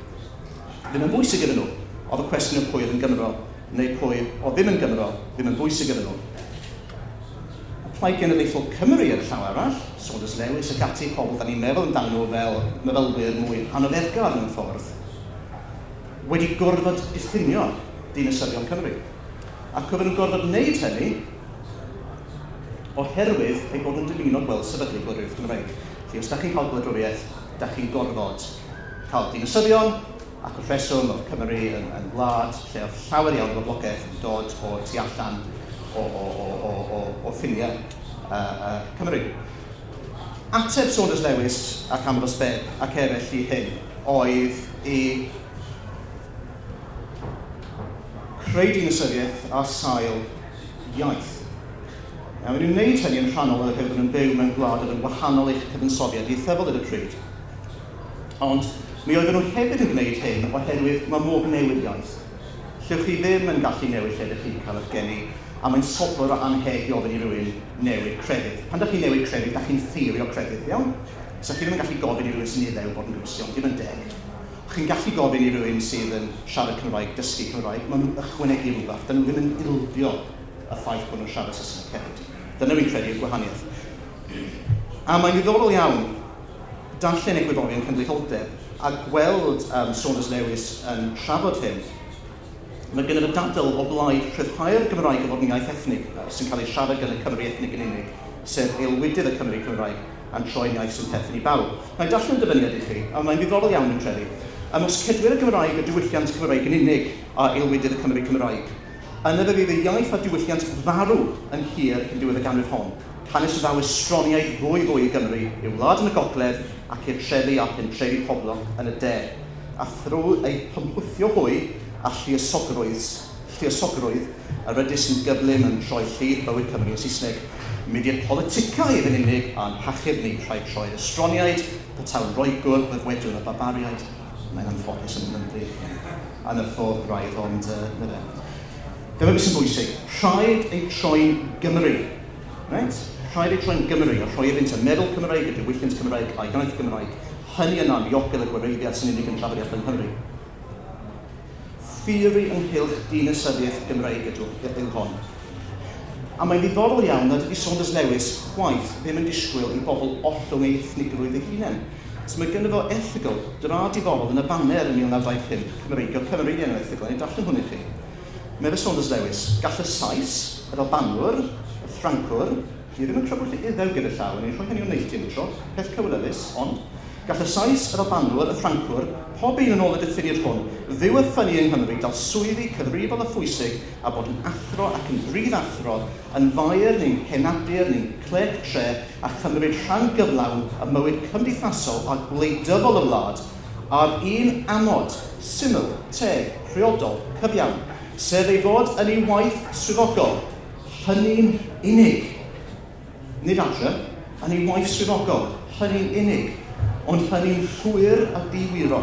ddim yn bwysig iddyn nhw. Oedd y cwestiwn o pwy oedd yn Gymro neu pwy oedd ddim yn Gymro ddim yn bwysig iddyn nhw. Y Plaid Genedlaethol Cymru ar y llaw arall, Saunders Lewis ac ati, pobl da ni'n meddwl amdano nhw fel myfylwyr mwy anoddefgar mewn ffordd, wedi gorfod diffinio dinasyddion Cymru. Ac oedden nhw'n gorfod wneud hynny oherwydd eu bod yn dymuno gweld sefydlu gwladwriaeth Gymreig. Felly os da chi'n cael gwladwriaeth, da chi'n gorfod cael dinasyddion, ac wrth reswm oedd Cymru yn wlad lle oedd llawer iawn o boblogaeth yn dod o'r tu allan o ffiniau Cymru. Ateb Saunders Lewis ac Ambrose Bebb ac eraill i hyn oedd i creu dinasyddiaeth ar sail iaith. Nawr, maen nhw'n gwneud hynny yn rhannol oherwydd bod nhw'n byw mewn gwlad oedd yn wahanol i'ch cyfansoddiad ieithyddol ar y pryd. Ond mi oedden nhw hefyd yn gwneud hyn oherwydd mae modd newid iaith. Llwch chi ddim yn gallu newid lle ydych chi'n cael eich geni, a mae'n sobor o anheg i ofyn i rywun newid crefydd. Pan ydych chi'n newid crefydd, ydych chi'n ffeirio crefydd, iawn? So chi ddim yn gallu gofyn i rywun sy'n Iddew bod yn Gristion, ddim yn deg. Chi'n gallu gofyn i rywun sydd yn siarad Cymraeg, dysgu Cymraeg, maen nhw'n ychwanegu rhywbeth, dyn nhw ddim yn ildio y ffaith bod nhw'n siarad Saesneg hefyd. Dyna fi'n credu yw'r gwahaniaeth. A mae'n ddiddorol iawn darllen egwyddorion cenedlaetholdeb a gweld Saunders Lewis yn trafod hyn. Mae gennym y dadl o blaid rhyddhau'r Gymraeg o fod yn iaith ethnig sy'n cael ei siarad gan y Cymry ethnig yn unig, sef aelwydydd y Cymry Cymraeg a'n troi'n iaith sy'n perthyn i bawb. Mae'n darllen dyfyniad i chi, a mae'n ddiddorol iawn yn credu. Os cedwir y Gymraeg a diwylliant Cymraeg yn unig a aelwydydd y Cymry Cymraeg, yna fe fydd y iaith a diwylliant farw yn hir cyn diwedd y ganrif hon. Canys y ddaw estroniaid fwy i Gymru, i'w wlad yn y gogledd ac i'r trefi a pentrefi poblog yn y de, a thrwy eu hymchwithio hwy a lluosogrwydd yr ydys yn gyflym yn troi llif bywyd Cymru yn Saesneg. Mudiad politicaidd yn unig a'n hachub ni rhaid troi'r estroniaid, petawn Roegwr, byddwedwn y barbariaid. Mae'n anffodus yn ymwneud yn y ffordd braidd, ond na fe. Dyma beth sy'n bwysig. Rhaid ei troi'n Gymru. Right? Rhaid ei troi'n Gymru, a rhoi iddynt y meddwl Cymraeg, y diwylliant Cymraeg, a'i iaith Gymraeg. Hynny yna'n ddiogel y gwareiddiad sy'n unig yn traddodiadol yng Nghymru. Theori ynghylch dinasyddiaeth Gymreig yw hon. A mae'n ddiddorol iawn nad ydy Saunders Lewis chwaith ddim yn disgwyl i bobl ollwng eu ethnigrwydd eu hunain. So mae gynno fo erthygl dra diddorol yn y Baner yn 1925, Cymreigio Cymru di enw erthygl, a ni'n darllen hwn i chi. Medde Saunders Lewis, gall y Sais, yr Albanwr, y Ffrancwr, ni ddim yn crybwyll Iddew gyda llaw, ni'n rhoi hynny o neilltu am y tro, peth cywilyddus, ond gall y Sais, yr Albanwr, y Ffrancwr, pob un yn ôl y diffiniad hwn, fyw a ffynnu yng Nghymru, dal swyddi cyfrifol a phwysig, a bod yn athro ac yn brif athro, yn faer neu'n henadur neu'n clerc tre, a chymryd rhan gyflawn y mywyd cymdeithasol a gwleidyddol y wlad, ar un amod, syml, teg, priodol, cyfiawn, sef ei fod yn ei waith swyddogol, hynny'n unig. Nid adre, yn ei waith swyddogol, hynny'n unig, ond hynny'n llwyr a diwyro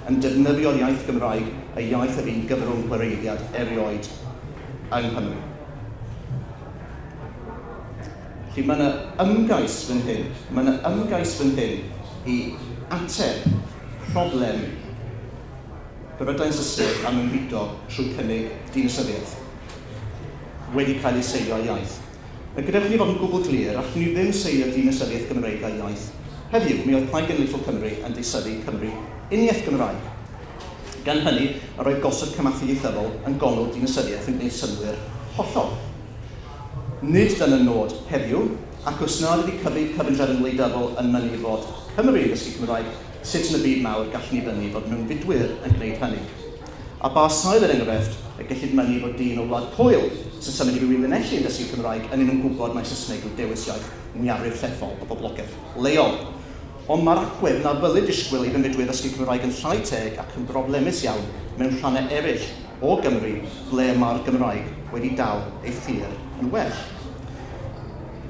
yn defnyddio'r iaith Gymraeg, y iaith yr un gyfrwng gwareiddiad erioed yng Nghymru. Felly mae yna ymgais fan hyn, mae yna ymgais fan hyn i ateb problem Brydain Saesneg am ymfudo trwy cynnig dinasyddiaeth wedi cael ei seilio ar iaith. Mae gyda chi fod yn gwbl glir, allwn ni ddim seilio dinasyddiaeth Gymreig ar iaith. Heddiw, mi oedd Plaid Genedlaethol Cymru yn deisyfu Cymru uniaith Gymraeg. Gan hynny, yr oedd gosod cymathu ieithyddol yn gongl dinasyddiaeth yn gwneud synnwyr hollol. Nid dyna nod heddiw, ac os nad ydy cyfundrefn wleidyddol yn mynnu fod Cymru yn dysgu Cymraeg, sut yn y byd mawr gallwn ni fynnu fod mewnfudwyr yn gwneud hynny. A ba sail er enghraifft, y gellid mynnu fod dyn o Wlad Pwyl sy'n symud i fyw i Lanelli yn dysgu Cymraeg yn un yn gwybod mai Saesneg yw dewis iaith mwyafrif llethol o boblogaeth leol. Ond mae'r agwedd na ddylid disgwyl i fewnfudwyr ddysgu Cymraeg yn llai teg ac yn broblemus iawn mewn rhannau eraill o Gymru ble mae'r Gymraeg wedi dal ei thir yn well.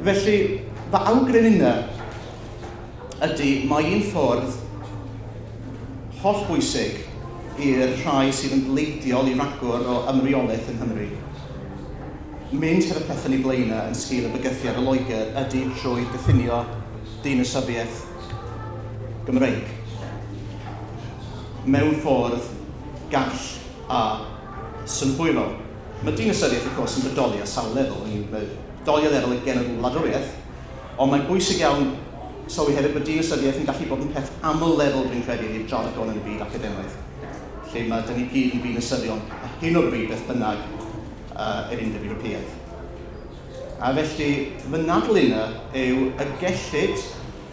Felly, fy awgrym yna ydy mae un ffordd hollbwysig i'r rhai sydd yn bleidiol i ragor o ymreolaeth yng Nghymru. Mynd hefo pethau yn ei blaenau yn sgil y bygythiad o Loegr ydy trwy diffinio dinasyddiaeth Gymreig. Mewn ffordd gall a synhwyrol. Mae dinasyddiaeth, of course, yn bodoli ar sawl lefel. Mae'n bodoli ar lefel y genedl wladwriaeth, ond mae'n bwysig iawn sylwi hefyd bod dinasyddiaeth yn gallu bod yn peth aml lefel, dwi'n credu, i'r jargon yn y byd academaidd, lle mae dyn ni gyd yn ddinasyddion a hyn o'r bryd beth bynnag yr Undeb Ewropeaidd. A felly, fy nadl yna yw y gellid,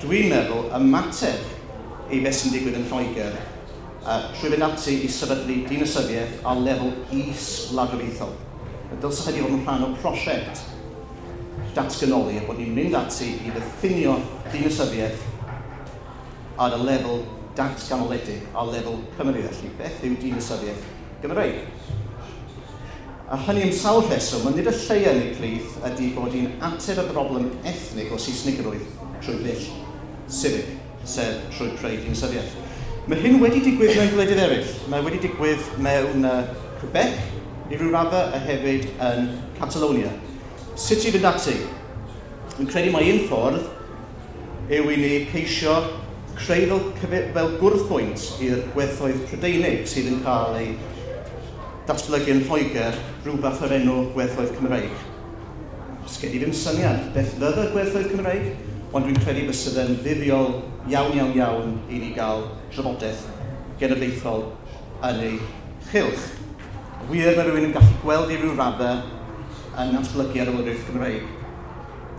dwi'n meddwl, ymateb i beth sy'n digwydd yn Lloegr trwy fynd ati i sefydlu dinasyddiaeth ar lefel is-wladwriaethol. Y dylse hynny fod yn rhan o prosiect datganoli a bod ni'n mynd ati i ddiffinio dinasyddiaeth ar y lefel datganoledig, ar lefel Cymru felly. Beth yw dinasyddiaeth Gymreig? A hynny am sawl rheswm, ond nid y lleia yn eu plith ydy bod hi'n ateb y broblem ethnig o Saesnigrwydd trwy ddull civic, sef trwy creu dinasyddiaeth. Mae hyn wedi digwydd mewn gwledydd eraill. Mae wedi digwydd mewn Quebec, i ryw raddau, a hefyd yn Catalonia. Sut i fynd ati? Dwi'n credu mai un ffordd yw i ni ceisio creu fel gwrthbwynt i'r gwerthoedd Prydeinig sydd yn cael ei datblygu yn Lloegr rhywbeth o'r enw gwerthoedd Cymreig. Sgen i ddim syniad beth fydda gwerthoedd Cymreig, ond dwi'n credu bysa fe'n fuddiol iawn, iawn, iawn i ni gael trafodaeth genedlaethol yn ei chylch. Wir, mae rhywun yn gallu gweld i ryw raddau yn natblygu ar y wladwriaeth Gymreig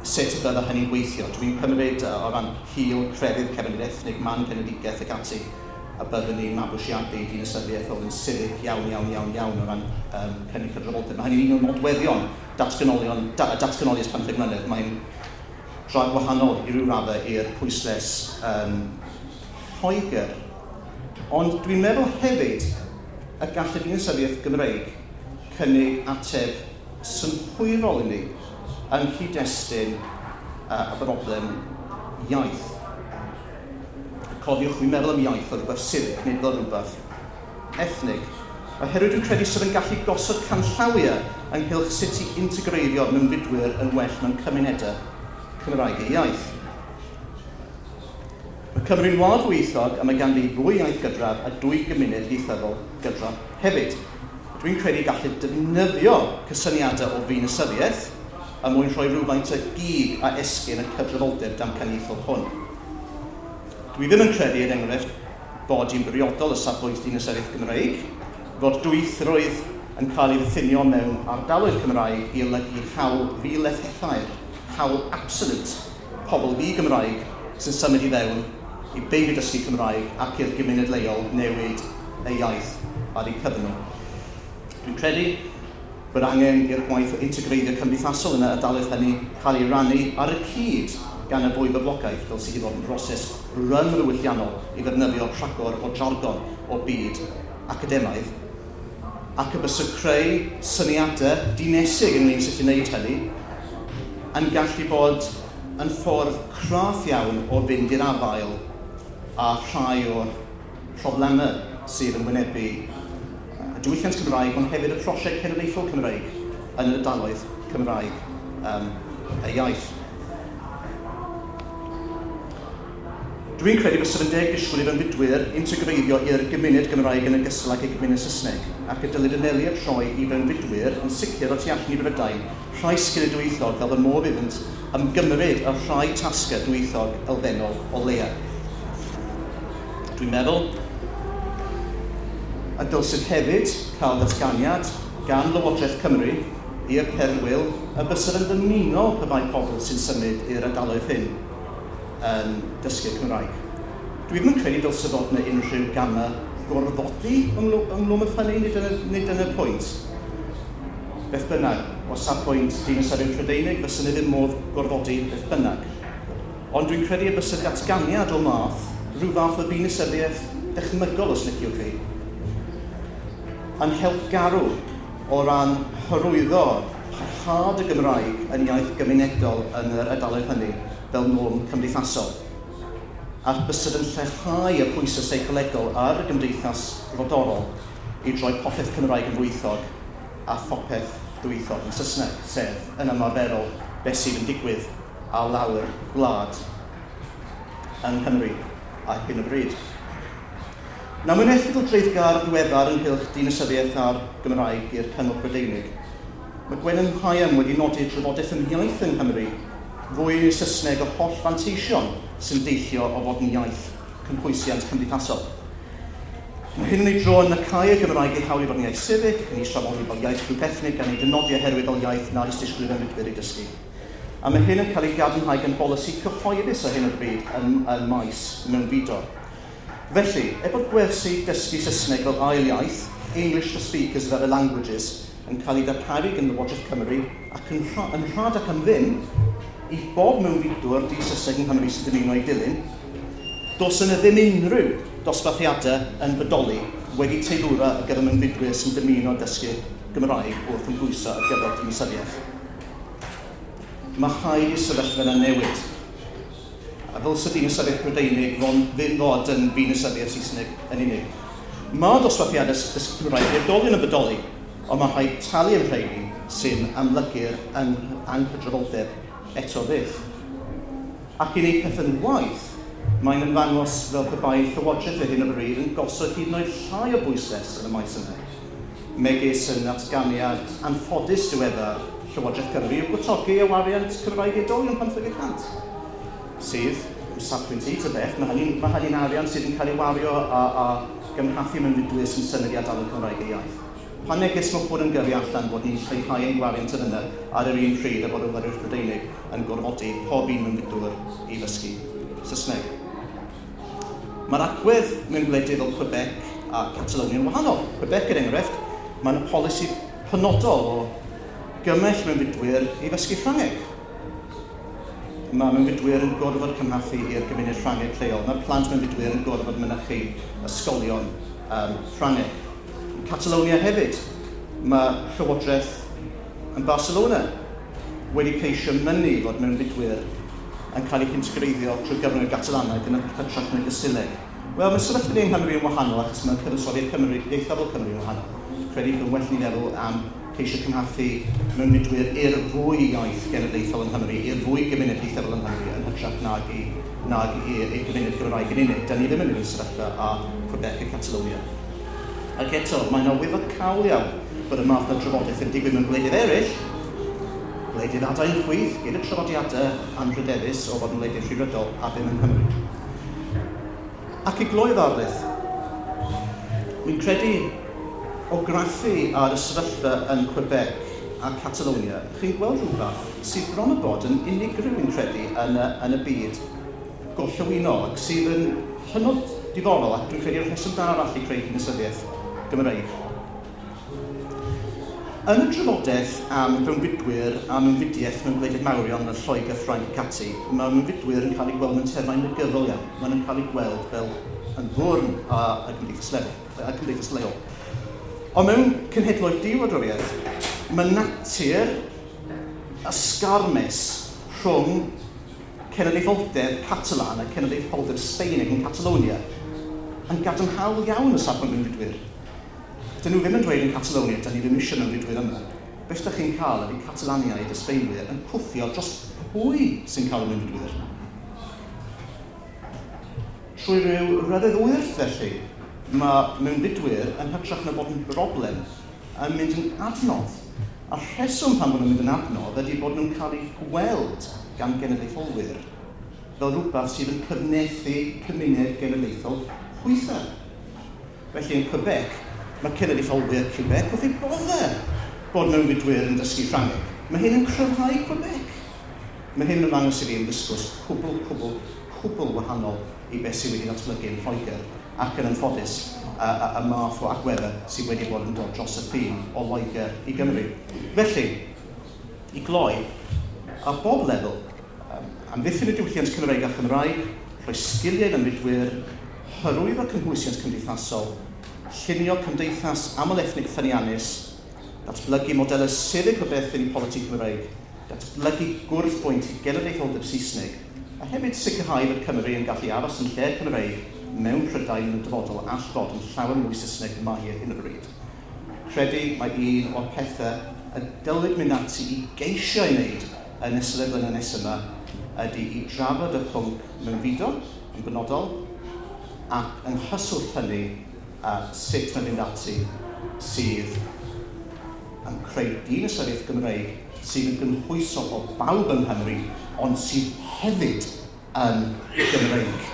sut y bydda hynny'n gweithio. Dwi'n cymryd o ran hil, crefydd, cefndir ethnig, man genedigaeth ac ati, a byddwn ni'n mabwysiadu dinasyddiaeth oedd yn civic iawn, iawn, iawn, iawn o ran cynnig cydraddoldeb. Mae hynny'n un o'r nodweddion datganoli ers 15 mlynedd. Mae'n dra gwahanol i ryw raddau i'r pwyslais Lloegr. Ond dwi'n meddwl hefyd y gall y dinasyddiaeth Gymreig cynnig ateb synhwyrol i ni yng nghyd-destun y broblem iaith. Cofiwch, dwi'n meddwl am iaith fel rhywbeth civic, nid fel rhywbeth ethnig. Oherwydd dwi'n credu sydd yn gallu gosod canllawiau ynghylch sut i integreiddio mewnfudwyr yn well mewn cymunedau Cymraeg eu iaith. Mae Cymru'n wlad ddwyieithog a mae ganddi ddwy iaith gydradd a dwy gymuned ieithyddol gydradd hefyd. Dwi'n credu gallu defnyddio cysyniadau o ddinasyddiaeth a mwyn rhoi rhywfaint o gig a esgyn y cydraddoldeb damcaniaethol hwn. Dwi ddim yn credu, er enghraifft, bod hi'n briodol o safbwynt dinasyddiaeth Gymreig, fod dwyieithrwydd yn cael ei ddiffinio mewn ardaloedd Cymraeg i olygu hawl ddilethethair, hawl absolute, pobl ddi-Gymraeg sy'n symud i fewn i beidio dysgu Cymraeg ac i'r gymuned leol newid ei iaith ar eu cyfer nhw. Dwi'n credu bod angen i'r gwaith o integreiddio cymdeithasol yn y ardaloedd hynny cael ei rannu ar y cyd gan y fwy boblogaeth, fel sydd wedi bod yn broses ryngddiwylliannol i ddefnyddio rhagor o jargon o byd academaidd, ac y bysa creu syniadau dinesig ynglyn sut i wneud hynny yn gallu bod yn ffordd craff iawn o fynd i'r afael â rhai o'r problemau sydd yn wynebu y diwylliant Cymraeg, ond hefyd y prosiect cenedlaethol Cymreig yn yr ardaloedd Cymraeg y iaith. Dwi'n credu bysa fe'n deg disgwyl i fewnfudwyr integreiddio i'r gymuned Gymraeg yn ogystal ag y gymuned Saesneg, ac y dylid anelu at rhoi i fewnfudwyr yn sicr o tu allan i Brydain rhai sgiliau dwyieithog fel bod modd iddynt ymgymryd â rhai tasgau dwyieithog elfennol o leia. Dwi'n meddwl y dylsid hefyd cael datganiad gan Lywodraeth Cymru i'r perwyl y bysa fe'n ddymunol pe bai pobl sy'n symud i'r ardaloedd hyn yn dysgu Cymraeg. Dwi ddim yn credu dylse fod yna unrhyw gamau gorfodi ynghlwm wrth hynny, nid dyna'r pwynt. Beth bynnag, o safbwynt dinasyddion Prydeinig, fysa ni ddim modd gorfodi beth bynnag. Ond dwi'n credu y bysa datganiad o math, rhyw fath o ddinasyddiaeth dychmygol os liciwch chi, yn help garw o ran hyrwyddo parhad y Gymraeg yn iaith gymunedol yn yr ardaloedd hynny fel norm cymdeithasol. A bysyd yn lleihau y pwysau seicolegol ar y gymdeithas frodorol i droi popeth Cymraeg yn ddwyieithog a phopeth ddwyieithog yn Saesneg, sef yn ymarferol beth sydd yn digwydd ar lawr gwlad yng Nghymru ar hyn o bryd. Nawr, mewn erthygl dreiddgar ddiweddar ynghylch dinasyddiaeth a'r Gymraeg i'r Cyngor Prydeinig, mae Gwennan Higham wedi nodi trafodaeth am iaith yng Nghymru fwy Saesneg o holl fanteision sy'n deillio o fod yn iaith cynhwysiant cymdeithasol. Mae hyn yn ei dro yn nacáu y Gymraeg ei hawl i fod yn iaith civic, yn ei trafodi fel iaith grŵp ethnig gan ei dynodi oherwydd fel iaith nad oes disgwyl i'r mewnfudwyr ei dysgu. A mae hyn yn cael ei gadarnhau gan bolisi cyhoeddus ar hyn o bryd yn maes mewnfudo. Felly, er bod gwersi dysgu Saesneg fel ail iaith, English for Speakers of Other Languages, yn cael ei darparu gan Lywodraeth Cymru ac yn rhad ac am ddim i bob mewnfudwr di-Saesneg yng Nghymru sy'n dymuno ei dilyn, does yna ddim unrhyw dosbarthiadau yn bodoli wedi teilwra ar gyfer mewnfudwyr sy'n dymuno dysgu Gymraeg wrth ymgwyso ar gyfer dinasyddiaeth. Mae rhaid i'r sefyllfa yna newid. A ddylse dinasyddiaeth Brydeinig ddim fod yn ddinasyddiaeth Saesneg yn unig. Mae dosbarthiadau dysgu Cymraeg i oedolion yn bodoli, ond mae rhaid talu am rheini sy'n amlygu'r anghydraddoldeb eto fyth. Ac i wneud pethau'n waeth, mae'n ymddangos fel pe bai Llywodraeth ar hyn o bryd yn gosod hyd yn oed llai o bwyslais yn y maes yna. Megis yn atganiad anffodus diweddar Llywodraeth Cymru yw gwtogi y wariant Cymraeg i oedolion 50%. Sydd, o safbwynt i ta beth, mae hynny'n arian sydd yn cael ei wario a gymhathu mewnfudwyr sy'n symud i ardaloedd Cymraeg eu iaith. Pa neges mae hwn yn gyrru allan bod ni'n lleihau ein gwariant yn yna ar yr un pryd a bod y Wladwriaeth Brydeinig yn gorfodi pob un mewnfudwr i ddysgu Saesneg. Mae'r agwedd mewn gwledydd fel Quebec a Catalonia yn wahanol. Quebec, er enghraifft, mae yna polisi penodol o gymell mewnfudwyr i ddysgu Ffrangeg. Mae mewnfudwyr yn gorfod cymhathu i'r gymuned Ffrangeg lleol. Mae plant mewnfudwyr yn gorfod mynychu ysgolion Ffrangeg. Yn Catalonia hefyd, mae Llywodraeth yn Barcelona wedi ceisio mynnu fod mewnfudwyr yn cael eu hintegreiddio trwy gyfrwng y Gatalaneg yn hytrach na Gysileg. Wel, mae sefyllfa ni yng Nghymru yn wahanol achos mae cyfansoddiad Cymru, ieithyddol Cymru yn wahanol. Credu bod yn well ni feddwl am ceisio cymhathu mewnfudwyr i'r fwy iaith genedlaethol yng Nghymru, i'r fwy gymuned ieithyddol yng Nghymru yn hytrach nag i'r gymuned Gymraeg yn unig. Da ni ddim yn un sefyllfa â Quebec a Catalonia. Ac eto, mae'n arwyddocaol iawn bod y math o drafodaeth yn digwydd mewn gwledydd eraill, gwledydd adain chwith, gyda traddodiadau anrhydeddus o fod yn wledydd rhyddfrydol a ddim yng Nghymru. Ac i gloi ddarlith, mi'n credu o graffu ar y sefyllfa yn Quebec a Catalonia, chi'n gweld rhywbeth sydd bron o bod yn unigryw yn credu yn y byd gorllewinol ac sydd yn hynod diddorol ac dwi'n credu'r rheswm da arall i creu dinasyddiaeth Gymreig. Yn y drafodaeth am fewnfudwyr a mewnfudiaeth mewn gwledydd mawrion yn Lloegr, Ffrainc ac ati, mae mewnfudwyr yn cael eu gweld mewn termau negyddol iawn. Maen nhw'n cael eu gweld fel yn fwrn a gymdeithas leol. Ond mewn cenhedloedd diwladwriaeth, mae natur ysgarmes rhwng cenedlaetholdeb Catalan a cenedlaetholdeb Sbaeneg yn Catalonia yn gadarnhaol iawn o safbwynt mewnfudwyr. Dyn nhw ddim yn dweud yn Catalonia, dyn ni ddim eisiau mewnfudwyr yma. Beth ydych chi'n cael ydy Catalaniaid a Sbaenwyr yn cwffio dros pwy sy'n cael y mewnfudwyr. Trwy ryw ryfedd wyrth felly, mae mewnfudwyr yn hytrach na bod yn broblem yn mynd yn adnodd. A'r rheswm pan bod nhw'n mynd yn adnodd ydy bod nhw'n cael eu gweld gan genedlaetholwyr fel rhywbeth sydd yn cyfnethu cymuned genedlaethol hwythau. Felly yn Quebec, mae cenedlaetholwyr Quebec wrth eu boddau bod mewnfudwyr yn dysgu Ffrangeg. Mae hyn yn cryfhau Quebec. Mae hyn yn ymddangos i fi yn ddisgwrs cwbl, cwbl, cwbl wahanol i beth sydd wedi datblygu yn Lloegr ac yn anffodus y math o agweddau sydd wedi bod yn dod dros y ffin o Loegr i Gymru. Felly, i gloi, ar bob lefel, amddiffyn y diwylliant Cymreig a Chymraeg, rhoi sgiliau mewnfudwyr, hyrwyddo cynhwysiant cymdeithasol, llunio cymdeithas aml-ethnig ffyniannus, datblygu modelau civic o berthyn i politi Cymreig, datblygu gwrthbwynt i genedlaetholdeb Saesneg, a hefyd sicrhau fod Cymru yn gallu aros yn lle Cymreig mewn Prydain yn y dyfodol all fod yn llawer mwy Saesneg mae hi ar hyn o bryd. Credu mae un o'r pethau y dylid mynd ati i geisio ei wneud yn ystod y blynedd nesaf yma ydy i drafod y pwnc mewnfudo yn benodol ac yng nghyswllt hynny A sut mae'n mynd ati sydd yn creu dinasyddiaeth Gymreig sydd yn gynhwysol o bawb yng Nghymru, ond sydd hefyd yn Gymreig.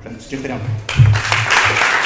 Reit, diolch yn iawn.